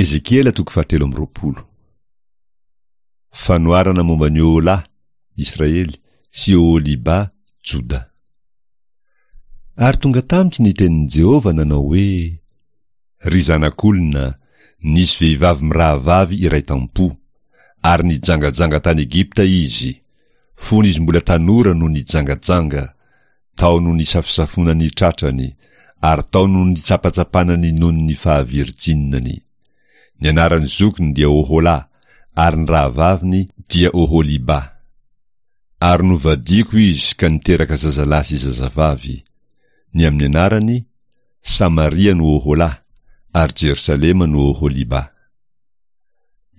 Ezekiela toko fahatelo amby 20. Fanoharana momba an'i Oholà, Israely, sy Oholibà, Joda. Ary tonga tamiko ny tenin'i Jehovah nanao hoe, Ry zanak'olona, nisy vehivavy mirahavavy iray tam-po, ary nijangajanga tany Egypta izy, fony izy mbola tanora no nijangajanga, tao no nisafosafoana ny tratrany, ary tao no nitsapatsapana ny nonon'ny fahavirjinany. Ny anaran'ny zokiny dia Oholà, ary ny rahavaviny dia Oholibà. Ary novadiako izy ka niteraka zazalahy sy zazavavy. Ny amin'ny anarany, Samaria no Oholà, ary Jerosalema no Oholibà.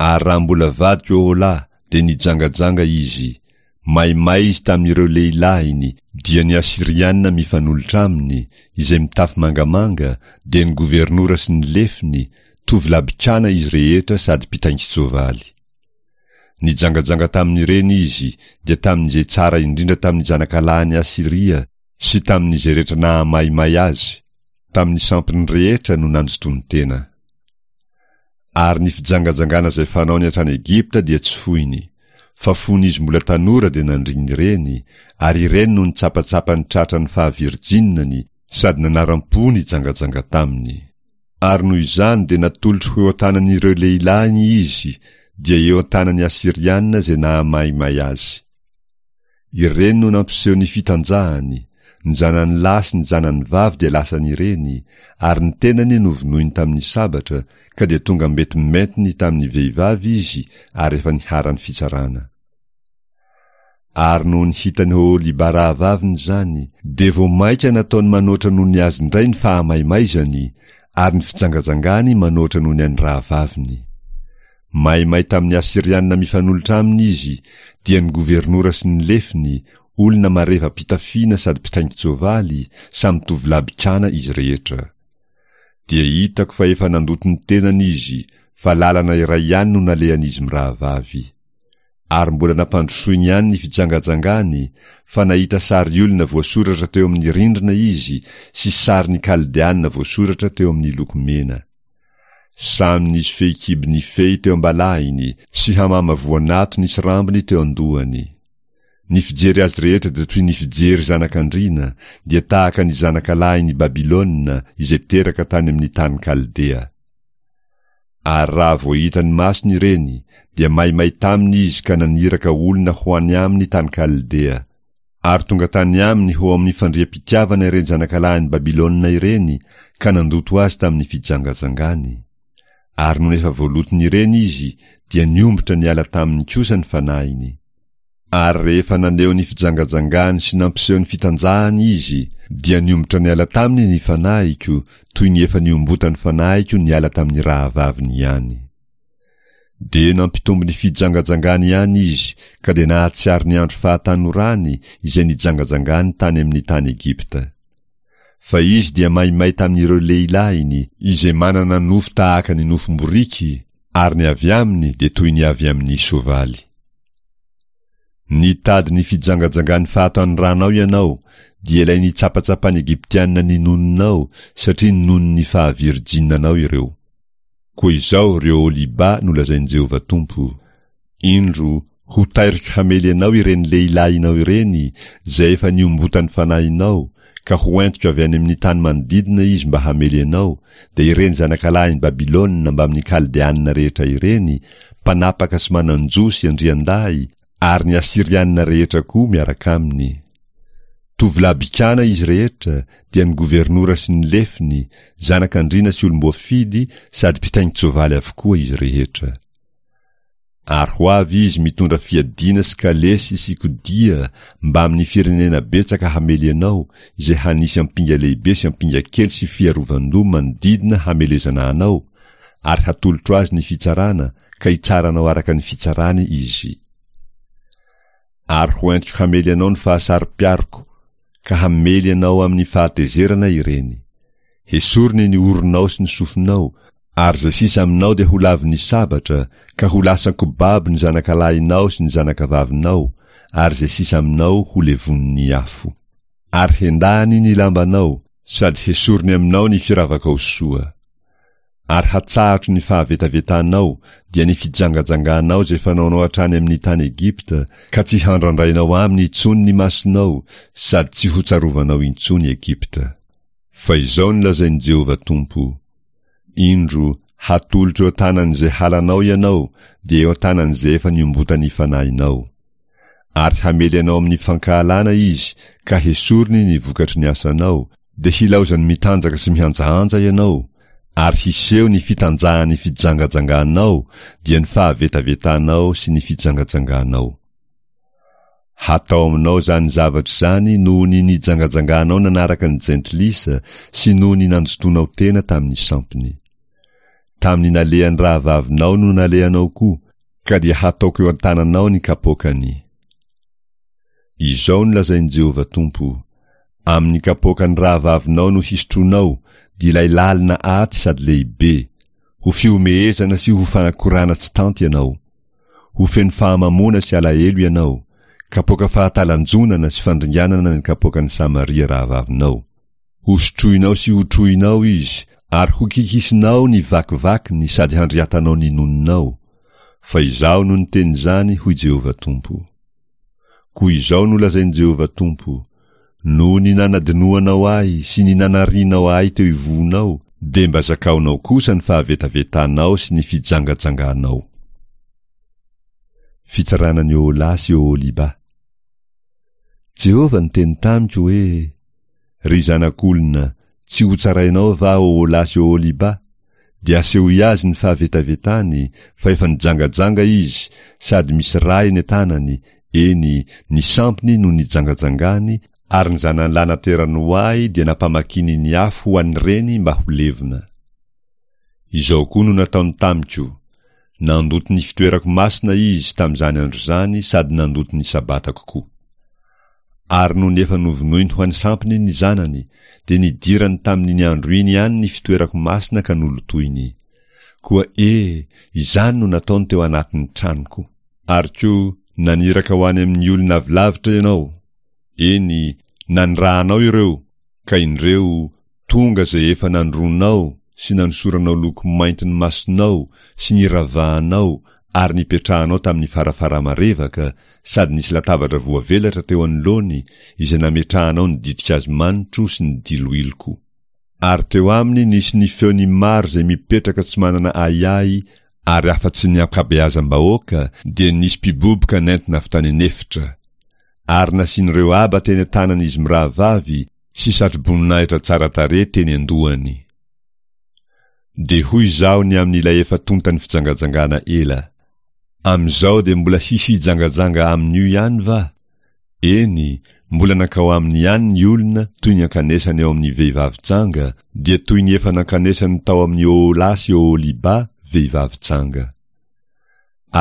Ary raha mbola vadiko Oholà, dia nijangajanga izy, maimay izy tamin'ireo lehilahiny, dia ny Asyriana mifanolotra aminy, izay mitafy mangamanga, dia ny governora sy ny lefiny, tovolahy-bikàna izy rehetra sady mpitaingin-tsoavaly. Nijangajanga tamin'ireny izy, dia tamin'izay tsara indrindra tamin'ny zanakalahin'i Asyria sy tamin'izay rehetra nahamaimay azy, tamin'ny sampiny rehetra no nanjotoany tena. Ary ny fijangajangana izay fanaony hatrany Egypta dia tsy foiny, fa fony izy mbola tanora dia nandrin'ny reny, ary ireny no nitsapatsapa ny tratran'ny fahavirjinany sady nanaram-po nijangajanga taminy. Ary noho izany dia natolotro ho eo an-tanan'ireo lehilahiny izy, dia eo an-tanan'ny Asyriana izay nahamaimay azy. Ireny no nampiseho ny fitanjahany, ny zanany lahy sy ny zanany vavy dia lasan'ireny, ary ny tenany novonoiny tamin'ny sabatra, ka dia tonga mentimentiny tamin'ny vehivavy izy ary efa niharan'ny fitsarana. Ary nony hitan'i Oholiba rahavaviny izany, dia vao mainka nataony manoatra noho ny azy indray ny fahamaimaizany, ary ny fijangajangany manoatra noho ny an'ny rahavaviny. Maimay tamin'ny Asyriana mifanolotra aminy izy, dia ny governora sy ny lefiny, olona mareva-pitafiana sady mpitaingin-tsoavaly, samy tovolahy bikàna izy rehetra. Dia hitako fa efa nandoto ny tenany izy, fa lalana iray ihany no nalehan'izy mirahavavy. Ary mbola nampandrosoiny ihany ny fijangajangany, fa nahita sary olona voasoratra teo amin'ny rindrina izy sy sarin'ny Kaldeana voasoratra teo amin'ny loko mena. Samy nisy fehikibo nifehy teo am-balahiny sy hamama voanato nisy rambony teo an-dohany. Ny fijery azy rehetra dia toy ny fijery zanak'andriana, dia tahaka ny zanakalahin'i Babylona izay teraka tany amin'ny tany Kaldea. Ary raha vao hitan'ny masony ireny, dia maimay taminy izy ka naniraka olona ho any aminy tany Kaldea. Ary tonga tany aminy ho ao amin'ny fandriam-pitiavana ireny zanakalahin'i Babylona ireny ka nandoto azy tamin'ny fijangajangany. Ary nony efa voaloton'ireny izy, dia niombotra niala taminy kosa ny fanahiny. Ary rehefa naneho ny fijangajangany sy nampiseho ny fitanjahany izy, dia niombotra niala taminy ny fanahiko, toy ny efa niombotan'ny fanahiko niala tamin'ny rahavaviny ihany. Dia nampitombo ny fijangajangany ihany izy, ka dia nahatsiaro ny andro fahatanorany izay nijangajangany tany amin'ny tany Egypta. Fa izy dia maimay tamin'ireo lehilahiny, izay manana nofo tahaka ny nofom-boriky, ary ny avy aminy dia toy ny avy amin'ny soavaly. Nitady ny fijangajangan'ny fahatanoranao ianao, dia ilay nitsapatsapan'ny Egyptiana ny nononao, satria nonon'ny fahavirjinanao ireo. Koa izao, ry Oholiba, no lazain'i Jehovah Tompo, Indro, hotairiko hamely anao ireny lehilahinao ireny, izay efa niombotan'ny fanahinao, ka hoentiko avy any amin'ny tany manodidina izy mba hamely anao, dia ireny zanakalahin'i Babylona mbamin'ny Kaldeanina rehetra ireny, mpanapaka sy manan-jo sy andriandahy, ary ny Asyrianina rehetra koa miaraka aminy. Tovolahy bikàna izy rehetra, dia ny governora sy ny lefiny, zanak'andriana sy olom-boafidy sady mpitaingin-tsoavaly avokoa izy rehetra. Ary ho avy izy mitondra fiadiana sy kalesy sy kodia mbamin'ny firenena betsaka hamely anao, izay hanisy ampinga lehibe sy ampinga kely sy fiarovan-doha manodidina hamelezana anao, ary hatolotro azy ny fitsarana, ka hitsara anao araka ny fitsarany izy. Ary ho entiko hamely anao ny fahasaro-piaroko, ka hamely anao amin'ny fahatezerana ireny. Hesoriny ny oronao sy ny sofinao, ary izay sisa aminao dia ho lavin'ny sabatra, ka ho lasan-kobabo ny zanakalahinao sy ny zanakavavinao, ary izay sisa aminao ho levonin'ny afo. Ary hendahany ny lambanao, sady hesoriny aminao ny firavakao soa. Ary hatsahatro ny fahavetavetanao, dia ny fijangajanganao izay fanaonao hatrany amin'ny tany Egypta, ka tsy handrandrainao aminy intsony ny masonao, sady tsy hotsarovanao intsony Egypta. Fa izao no lazain'i Jehovah Tompo, Indro, hatolotro eo an-tanan'izay halanao ianao, dia eo an-tanan'izay efa niombotan'ny fanahinao. Ary hamely anao amin'ny fankahalana izy, ka hesoriny ny vokatry ny asanao, dia hilaozany mitanjaka sy mihanjahanja ianao, ary hiseho ny fitanjahan'ny fijangajanganao, dia ny fahavetavetanao sy ny fijangajanganao. Hatao aminao izany zavatra izany noho ny nijangajanganao nanaraka ny jentilisa sy noho ny nandotoanao tena tamin'ny sampiny. Tamin'ny nalehan'ny rahavavinao no nalehanao koa, ka dia hataoko eo an-tananao ny kapoakany. Izao no lazain'i Jehovah Tompo, Amin'ny kapoakan'ny rahavavinao no hisotroanao, dia ilay lalina aty sady lehibe, ho fihomehezana sy ho fanakorana tsy tanty ianao. Ho feno fahamamoana sy alahelo ianao, kapoaka fahatalanjonana sy fandringanana ny kapoakan'i Samaria rahavavinao. Hosotroinao sy hotrohinao izy, ary hokikisinao ny vakivakiny sady handriatanao ny nononao. Fa Izaho no niteny izany, hoy Jehovah Tompo. Koa izao no lazain'i Jehovah Tompo, Noho ny nanadinoanao Ahy sy ny nanarianao Ahy teo ivohonao, dia mba zakaonao kosa ny fahavetavetanao sy ny fijangajanganao. Fitsarana an'i Oholà sy Oholibà. Jehovah niteny tamiko hoe, Ry zanak'olona, tsy hotsarainao va Oholà sy Oholibà? Dia asehoy azy ny fahavetavetany, fa efa nijangajanga izy, sady misy ra eny an-tanany, eny, ny sampiny no nijangajangany, ary ny zanany lahy naterany ho ahy dia nampamakiny ny afo ho an'ireny mba ho levona. Izao koa no nataony tamiko, Nandoto ny fitoerako masina izy tamin'izany andro izany sady nandoto ny Sabatako koa. Ary nony efa novonoiny ho an'ny sampiny ny zanany, dia nidirany tamin'iny andro iny ihany ny fitoerako masina ka nolotoiny. Koa e, izany no nataony teo anatin'ny tranoko. Ary koa naniraka ho any amin'ny olona avy lavitra ianao, eny, nanirahanao ireo, ka indreo, Tonga izay efa nandroanao sy nanosoranao loko mainty ny masonao sy niravahanao ary nipetrahanao tamin'ny farafara marevaka sady nisy latabatra voavelatra teo anoloany izay nametrahanao ny ditin-kazo manitro sy ny diloiloko. Ary teo aminy nisy ny feon'ny maro izay mipetraka tsy manana ahiahy ary afa-tsy ny ankabeazam-bahoaka dia nisy mpiboboka nentina avy tany an'efitra. Ary nasian'ireo aba teny an-tanan'izy mirahavavy sy satroboninahitra tsara tarehy teny an-dohany. Dia hoy izaho ny amin'ilay efa tontan'ny fijangajangana ela, Amin'izao dia mbola hisy hijangajanga amin'io ihany va? Eny, mbola nankao aminy ihany ny olona toy ny ankanesany ao amin'ny vehivavy janga, dia toy ny efa nankanesany tao amin'i Oholà sy Oholibà, vehivavy janga.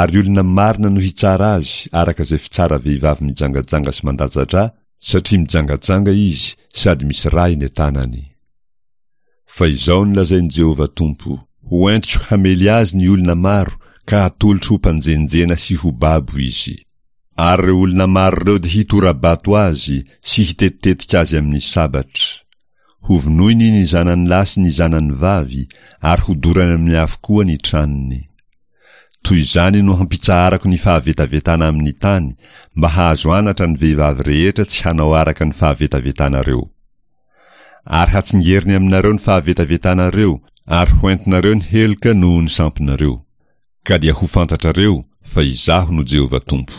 Ary olona marina no hitsara azy araka izay fitsara vehivavy mijangajanga sy mandatsa-drà, satria mijangajanga izy sady misy rà eny an-tanany. Fa izao no lazain'i Jehovah Tompo, Ho entiko hamely azy ny olona maro ka hatolotro ho mpanjenjena sy ho babo izy. Ary ireo olona maro ireo dia hitora-bato azy sy hitetitetika azy amin'ny sabatra. Hovonoiny ny zanany lahy sy ny zanany vavy ary hodorany amin'ny afo koa ny tranony. Toy izany no hampitsaharako ny fahavetavetana amin'ny tany, mba hahazo anatra ny vehivavy rehetra tsy hanao araka ny fahavetavetanareo. Ary hatsingeriny aminareo ny fahavetavetanareo, ary hoentinareo ny heloka noho ny sampinareo. Ka dia ho fantatrareo fa Izaho no Jehovah Tompo.